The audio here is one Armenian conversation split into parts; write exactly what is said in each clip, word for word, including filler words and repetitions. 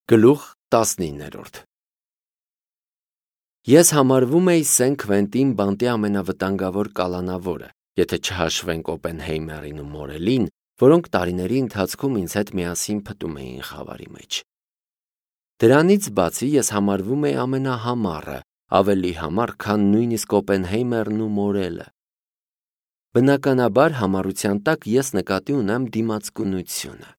Գլուխ տասնիններորդ Ես համարվում էի Սեն Քվենտին բանտի ամենավտանգավոր կալանավորը, եթե չհաշվենք Օպենհեյմերին ու Մորելին, որոնք տարիների ընթացքում ինձ հետ միասին փտում էին խավարի մեջ։ Դրանից բացի ես համարվում էի ամենահամառը, ավելի համառ, քան նույնիսկ Օպենհեյմերն ու Մորելը։ Բնականաբար համառության տակ ես նկատի ունեմ դիմացկունությունը։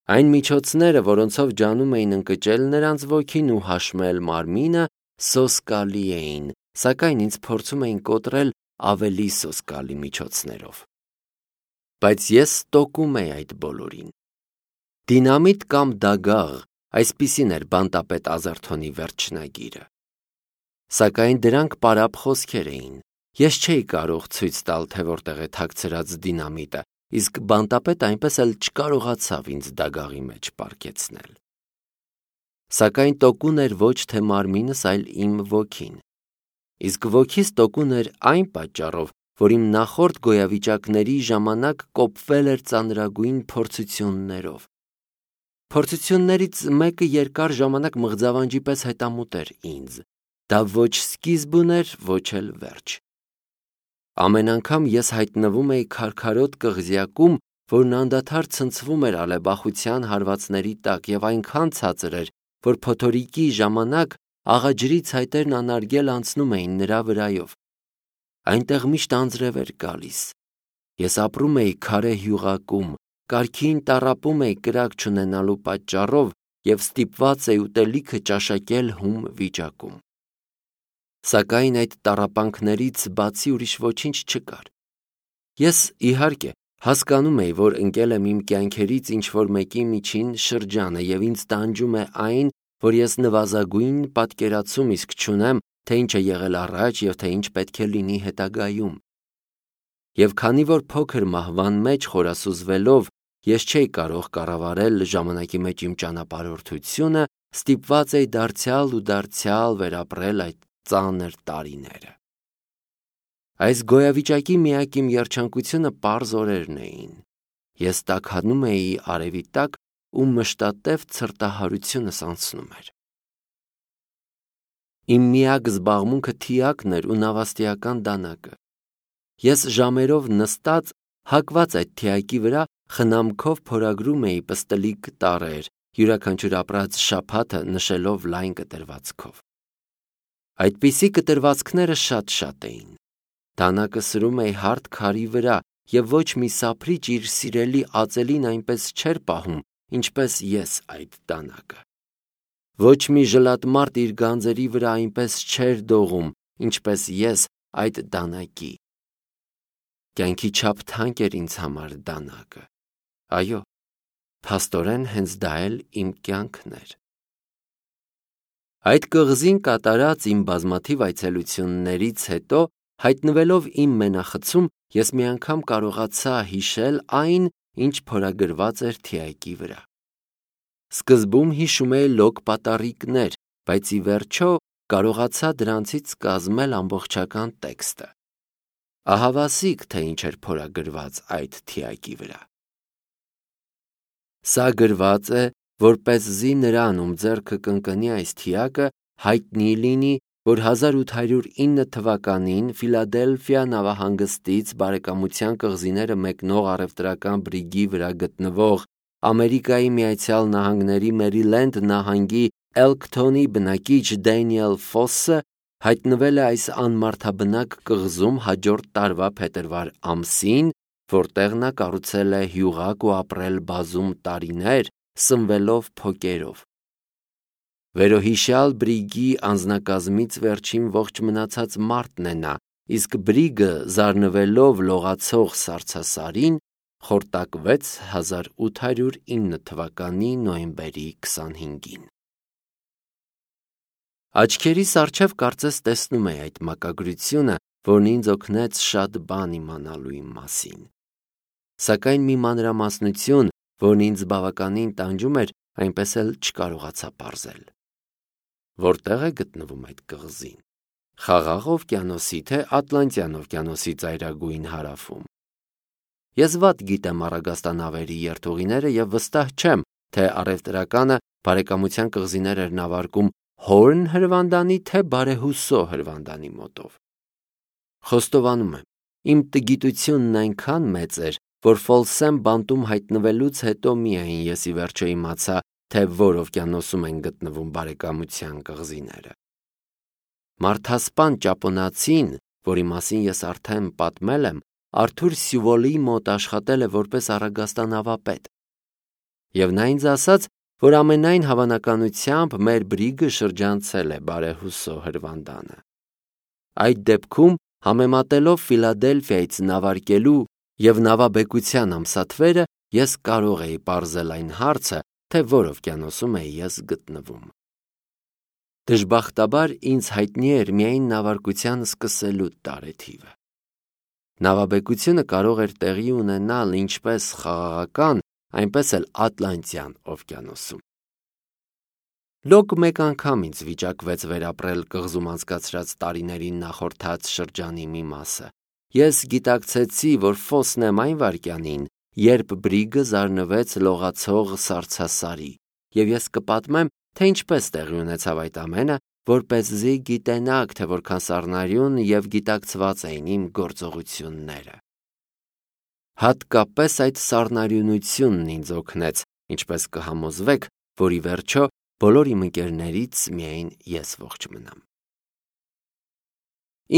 Այն միջոցները, որոնցով ջանում էին ընկճել նրանց ոգին ու հաշմել մարմինը, սոսկալի էին, սակայն ինձ փորձում էին կոտրել ավելի սոսկալի միջոցներով։ Բայց ես ստոկում էի այդ բոլորին։ Դինամիտ կամ դագաղ, այսպիսին էր բանտապետ Ազերթոնի վերջնագիրը։ Սակայն դրանք պարապ խոսքեր էին։ Ես չէի կարող ցույց տալ, թե որտեղ է թաքցրած դինամիտը, իսկ բանտապետը այնպես էլ չկարողացավ ինձ դագաղի մեջ պառկեցնել։ Սակայն տոկուն էր ոչ թե մարմինս, այլ իմ ոգին։ Իսկ ոգիս տոկուն էր այն պատճառով, որ իմ նախորդ գոյավիճակների ժամանակ կոփվել էր ծանրագույն փորձություններով։ Փորձություններից մեկը երկար ժամանակ մղձավանջի պես հետամուտ էր ինձ։ Դա ոչ սկիզբ ուներ, ոչ էլ վերջ։ Ամեն անգամ ես հայտնվում էի քարքարոտ կղզյակում, որն անդադար ցնցվում էր ալեբախության հարվածների տակ եւ այնքան ցածր էր, որ փոթորիկի ժամանակ աղաջրի ցայտերն անարգել անցնում էին նրա վրայով։ Այնտեղ միշտ անձրև էր գալիս։ Ես ապրում էի քարե հյուղակում, կարգին տառապում էի կրակ չունենալու պատճառով եւ ստիպված էի ուտելիքը ճաշակել հում վիճակում։ Սակայն այդ տառապանքներից բացի ուրիշ ոչինչ չկար։ Ես, իհարկե, հասկանում էի, որ ընկել եմ իմ կյանքերից ինչ-որ մեկի միջին շրջանը եւ ինձ տանջում է այն, որ ես նվազագույն պատկերացում իսկ չունեմ, թե ինչ է եղել առաջ եւ թե ինչ պետք է լինի հետագայում։ Եվ քանի որ փոքր մահվան մեջ խորասուզվելով ես չէի կարող կառավարել ժամանակի մեջ իմ ճանապարհորդությունը, ստիպված էի դարձյալ ու դարձյալ վերապրել այդ ծանր տարիները։ Այս գոյավիճակի միակ իմ երջանկությունը պարզ օրերն էին։ Ես տաքանում էի արևի տակ ու մշտատև ցրտահարությունս անցնում էր։ Իմ միակ զբաղմունքը թիակն էր ու նավաստիական դանակը։ Ես ժամերով նստած, հակված այդ թիակի վրա, խնամքով փորագրում էի պստլիկ տառեր, յուրաքանչյուր ապրած շաբաթը նշելով լայն կտրվածքով։ Այդպիսի կտրվածքները շատ-շատ էին։ Դանակը սրում էի հարթ քարի վրա եւ ոչ մի սափրիչ իր սիրելի ածելին այնպես չէր պահում, ինչպես ես այդ դանակը։ Ոչ մի ժլատմարդ իր գանձերի վրա այնպես չէր դողում, ինչպես ես այդ դանակի։ Կյանքի չափ թանկ էր ինձ համար դանակը։ Այո, փաստորեն հենց դա էլ իմ կյանքն էր։ Այդ կղզին կատարած իմ բազմաթիվ այցելություններից հետո, հայտնվելով իմ մենախցում, ես մի անգամ կարողացա հիշել այն, ինչ փորագրված էր թիակի վրա։ Սկզբում հիշում էի լոկ պատառիկներ, բայց ի վերջո կարողացա դրանցից կազմել ամբողջական տեքստը։ Ահավասիկ, թե ինչ էր փորագրված այդ թիակի վրա։ Սա գրված է, որպեսզի նրան, ում ձեռքը կընկնի այս թիակը, հայտնի լինի, որ հազար ութ հարյուր ինը թվականին Ֆիլադելֆիա նավահանգստից բարեկամության կղզիները մեկնող առևտրական բրիգի վրա գտնվող Ամերիկայի Միացյալ Նահանգների Մերիլենդ նահանգի Էլքթոնի բնակիչ Դենիել Ֆոսսը հայտնվել է այս անմարդաբնակ կղզում հաջորդ տարվա փետրվար ամսին, որտեղ նա կառուցել է հյուղակ ու ապրել բազում տարիներ, սնվելով փոկերով։ Վերոհիշյալ բրիգի անձնակազմից վերջին ողջ մնացած մարդն է նա, իսկ բրիգը զարնվելով լողացող սառցասարին խորտակվեց հազար ութ հարյուր ինը թվականի նոյեմբերի քսանհինգին։ Աչքերիս առջև կարծես տեսնում էի այդ մակագրությունը, որն ինձ օգնեց շատ բան իմանալու իմ մասին։ Սակայն մի մանրամասնություն, որն ինձ բավականին տանջում էր, այնպես էլ չկարողացա պարզել։ Որտեղ է գտնվում այդ կղզին։ Խաղաղ օվկիանոսի թե Ատլանտյան օվկիանոսի ծայրագույն հարավում։ Ես վատ գիտեմ առագաստանավերի երթուղիները եւ վստահ չեմ, թե առևտրականը բարեկամության կղզիներ էր նավարկում Հորն հրվանդանի, թե Բարեհուսո հրվանդանի մոտով։ Խոստովանում եմ, իմ տգիտությունն այնքան մեծ էր, որ Ֆոլսեմ բանտում հայտնվելուց հետո միայն ես ի վերջո իմացա, թե որ օվկիանոսում են գտնվում բարեկամության կղզիները։ Մարդասպան ճապոնացին, որի մասին ես արդեն պատմել եմ, Արթուր Սյուվոլի մոտ աշխատել է որպես առագաստանավապետ։ Եվ նա ինձ ասաց, որ ամենայն հավանականությամբ մեր բրիգը շրջանցել է Բարեհուսո հրվանդանը։ Այդ դեպքում, համեմատելով Ֆիլադելֆիայից նավարկելու և նավաբեկության ամսաթվերը, ես կարող էի պարզել այն հարցը, թե որ օվկիանոսում էի ես գտնվում։ Դժբախտաբար ինձ հայտնի էր միայն նավարկության սկսելու տարեթիվը։ Նավաբեկությունը կարող էր տեղի ունենալ ինչպես Խաղաղական, այնպես էլ Ատլանտյան օվկիանոսում։ Լոկ մեկ անգամ ինձ վիճակվեց վերապրել կղզում անցկացրած տարիներին նախորդած շրջանի մի մասը։ Ես գիտակցեցի, որ Ֆոսն եմ այն վայրկյանին, երբ բրիգը զարնվեց լողացող սառցասարի, և ես կպատմեմ, թե ինչպես տեղի ունեցավ այդ ամենը, որպեսզի գիտենաք, թե որքան սառնարյուն և գիտակցված էին իմ գործողությունները։ Հատկապես այդ սառնարյունությունն ինձ օգնեց, ինչպես կհամոզվեք, որ ի վերջո բոլոր իմ ընկերներից միայն ես ողջ մնամ։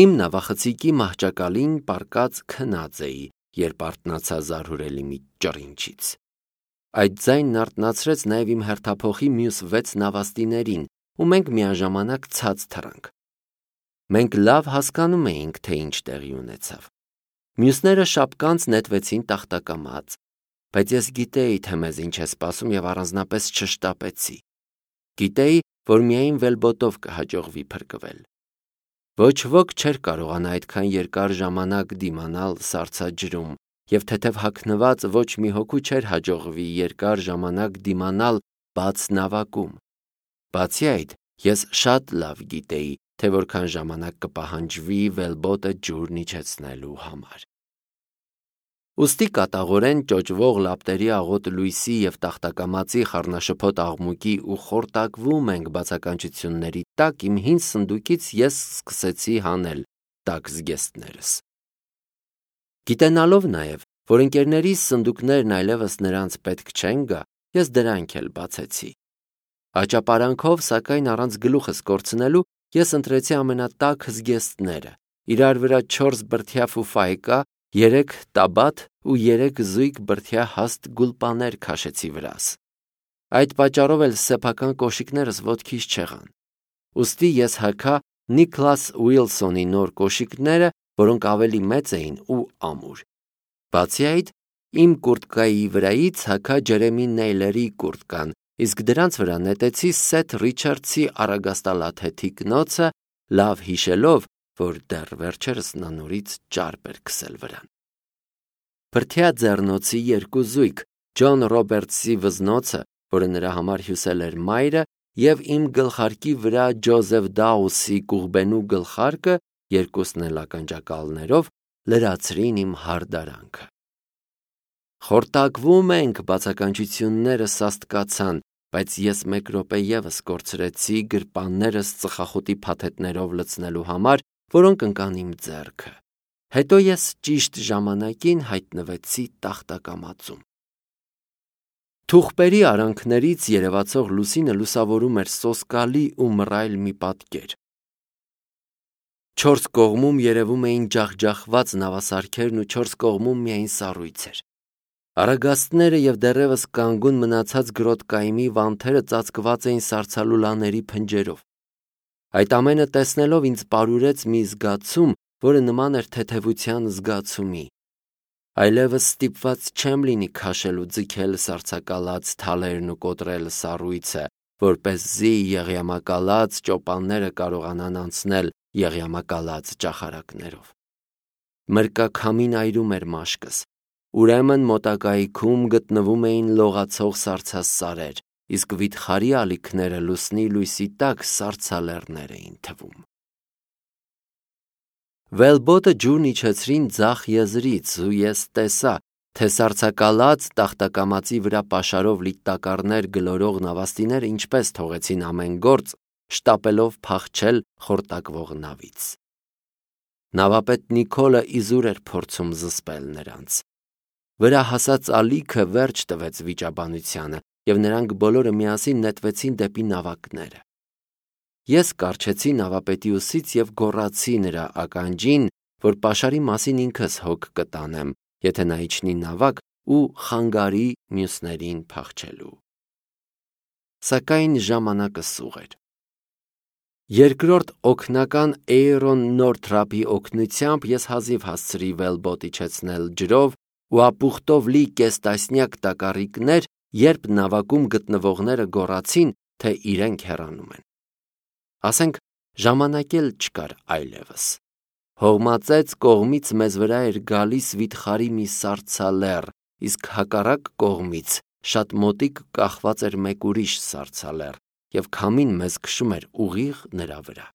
Իմ նավախցիկի մահճակալին պառկած քնած էի, երբ արթնացա զարհուրելի մի ճռինչից։ Այդ ձայնն արթնացրեց նաև իմ հերթափոխի մյուս վեց նավաստիներին, ու մենք միաժամանակ ցած թռանք։ Մենք լավ հասկանում էինք, թե ինչ տեղի ունեցավ։ Մյուսները շապկանց նետվեցին տախտակամած, բայց ես գիտեի, թե մեզ ինչ է սպասում և առանձնապես չշտապեցի։ Գիտեի, որ միայն վելբոտով կհաջողվի փրկվել։ Ոչ ոք չէր կարողանա այդքան երկար ժամանակ դիմանալ սառցաջրում, և թեթև հագնված ոչ մի հոգու չէր հաջողվի երկար ժամանակ դիմանալ բաց նավակում։ Բացի այդ, ես շատ լավ գիտեի, թե որքան ժամանակ կպահանջվի վելբոտը ջուրն իջեցնելու համար։ Ուստի կատաղորեն ճոճվող լապտերի աղոտ լույսի և տախտակամածի խառնաշփոթ աղմուկի ու խորտակվում ենք բացականչությունների տակ իմ հին սնդուկից ես սկսեցի հանել տաք զգեստներս։ Գիտենալով նաև, որ ընկերներիս սնդուկներն այլևս նրանց պետք չեն գա, ես դրանք էլ բացեցի։ Աճապարանքով, սակայն առանց գլուխս կորցնելու, ես ընտրեցի ամենատաք զգեստները, իրար վրա չորս բրդյա ֆուֆայկա, երեք տաբատ ու երեք զույգ բրդյա հաստ գուլպաներ քաշեցի վրաս։ Այդ պատճառով էլ սեփական կոշիկներս ոտքիս չեղան։ Ուստի ես հագա Նիկլաս Ուիլսոնի նոր կոշիկները, որոնք ավելի մեծ էին ու ամուր։ Բացի այդ, իմ կուրտկայի վրայից հագա Ջերեմի Նեյլերի կուրտկան, իսկ դրանց վրա նետեցի Սեթ Ռիչարդսի առագաստալաթեթի կնոցը, լավ հիշելով, որ դեռ վերջերս նա նորից ճարպ էր քսել վրան։ Բրդյա ձեռնոցի երկու զույգ, Ջոն Ռոբերտսի վզնոցը, որը նրա համար հյուսել էր մայրը, և իմ գլխարկի վրա Ջոզեֆ Դաուսի կուղբենու գլխարկը, երկուսն էլ ականջակալներով, լրացրին իմ հարդարանքը։ Խորտակվում ենք բացականչությունները սաստկացան, բայց ես մեկ րոպե ևս կորցրեցի գրպաններս ծխախոտի փաթեթներով լցնելու համար, որոնք ընկան իմ ձեռքը։ Հետո ես ճիշտ ժամանակին հայտնվեցի տախտակամածում։ Թուղպերի արանքներից երևացող լուսինը լուսավորում էր սոսկալի ու մռայլ մի պատկեր։ Չորս կողմում երևում էին ջախջախված նավասարքերն ու չորս կողմում միայն սառույցեր։ Առագաստները և դեռևս կանգուն մնացած գրոտկայմի վանթերը ծածկված էին սառցալուլաների փնջերով։ Այդ ամենը տեսնելով ինձ պարուրեց մի զգացում, որը նման էր թեթևության զգացումի։ Այլևս ստիպված չեմ լինի քաշել ու ձգել սառցակալած թալերն ու կոտրել սառույցը, որպեսզի եղյամակալած ճոպանները կարողանան անցնել եղյամակալած ճախարակներով։ Մրկաքամին այրում էր մաշկս։ Ուրեմն մոտակայքում գտնվում էին լողացող սառցասարեր, իսկ վիթխարի ալիքները լուսնի լույսի տակ սառցալեռներ էին թվում։ Վելբոտը ջուրն իջեցրին ձախ եզրից, ու ես տեսա, թե սառցակալած տախտակամածի վրա պաշարով լի տակառներ գլորող նավաստիները ինչպես թողեցին ամեն գործ, շտապելով փախչել խորտակվող նավից։ Նավապետ Նիկոլը իզուր էր փորձում զսպել նրանց։ Վրա հասած ալիքը վերջ տվեց վիճաբանությանը, և նրանք բոլորը միասին նետվեցին դեպի նավակները։ Ես կառչեցի նավապետի ուսից և գոռացի նրա ականջին, որ պաշարի մասին ինքս հոգ կտանեմ, եթե նա իջնի նավակ ու խանգարի մյուսներին փախչելու։ Սակայն ժամանակը սուղ էր։ Երկրորդ օգնական Էյրոն Նորթրափի օգնությամբ ես հազիվ հասցրի վելբոտ իջեցնել ջրով ու ապուխտով լի կես տասնյակ տակառիկներ, երբ նավակում գտնվողները գոռացին, թե իրենք հեռանում են։ Ասենք, ժամանակ էլ չկար այլևս։ Հողմածեց կողմից մեզ վրա էր գալիս վիթխարի մի սառցալեռ, իսկ հակառակ կողմից շատ մոտիկ կախված էր մեկ ուրիշ սառցալեռ, և քամին մեզ քշում էր ուղիղ նրա վրա։